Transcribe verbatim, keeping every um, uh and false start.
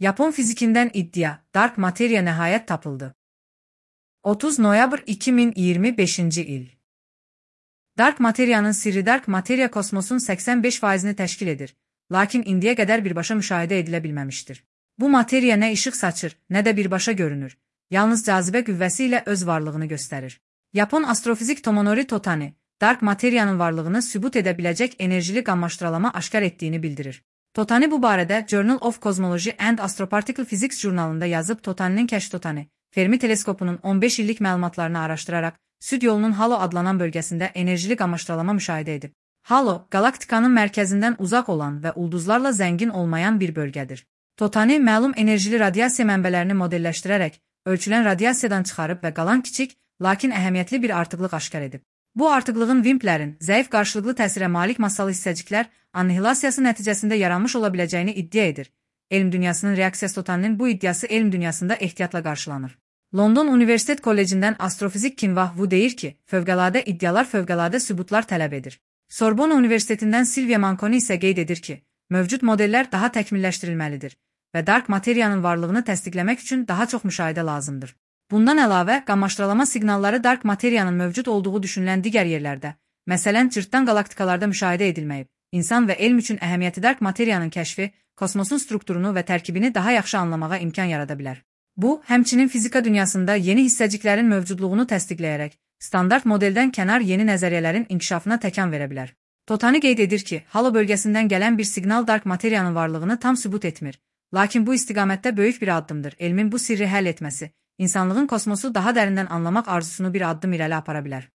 Yapon fizikinden iddia, dark materya nihayet tapıldı. otuz noyabr iki min iyirmi beşinci il. Dark materyanın sirri dark materya kosmosun səksən beş faizini təşkil edir, lakin indiyə qədər birbaşa müşahidə edilə bilməmişdir. Bu materya nə işıq saçır, nə də birbaşa görünür, yalnız cazibə qüvvəsi ilə öz varlığını göstərir. Yapon astrofizik Tomonori Totani, dark materyanın varlığını sübut edə biləcək enerjili qammaşdıralama aşkar etdiyini bildirir. Totani bu barədə Journal of Cosmology and Astroparticle Physics jurnalında yazıb. Totaninin kəşf Totani, Fermi teleskopunun on beş illik məlumatlarını araşdıraraq, Süd yolunun Halo adlanan bölgəsində enerjili qammaşdıralama müşahidə edib. Halo, galaktikanın mərkəzindən uzaq olan və ulduzlarla zəngin olmayan bir bölgədir. Totani məlum enerjili radiasiya mənbələrini modelləşdirərək, ölçülən radiasiyadan çıxarıb və qalan kiçik, lakin əhəmiyyətli bir artıqlıq aşkar edib. Bu artıqlığın vimplərin, zəif qarşılıqlı təsirə malik massalı hissəciklər annihilasiyası nəticəsində yaranmış ola biləcəyini iddia edir. Elm dünyasının reaksiyası Totaninin bu iddiası elm dünyasında ehtiyatla qarşılanır. London Universitet Kollecindən astrofizik Kinvah Wu deyir ki, fövqəladə iddialar fövqəladə sübutlar tələb edir. Sorbonne Universitetindən Silvia Manconi isə qeyd edir ki, mövcud modellər daha təkmilləşdirilməlidir və dark materiyanın varlığını təsdiqləmək üçün daha çox müşahidə lazımdır. Bundan əlavə, qammaşdıralama siqnalları dark materiyanın mövcud olduğu düşünülən digər yerlərdə, məsələn, cırtdan qalaktikalarda müşahidə edilməyib. İnsan və elm üçün əhəmiyyəti dark materiyanın kəşfi, kosmosun strukturunu və tərkibini daha yaxşı anlamağa imkan yarada bilər. Bu, həmçinin fizika dünyasında yeni hissəciklərin mövcudluğunu təsdiqləyərək, standart modeldən kənar yeni nəzəriyyələrin inkişafına təkan verə bilər. Totani qeyd edir ki, Halo bölgəsindən gələn bir siqnal dark materiyanın varlığını tam sübut etmir, lakin bu istiqamətdə böyük bir addımdır. Elmin bu sirri həll etməsi, insanlığın kosmosu daha dərindən anlamaq arzusunu bir addım irəli apara bilər.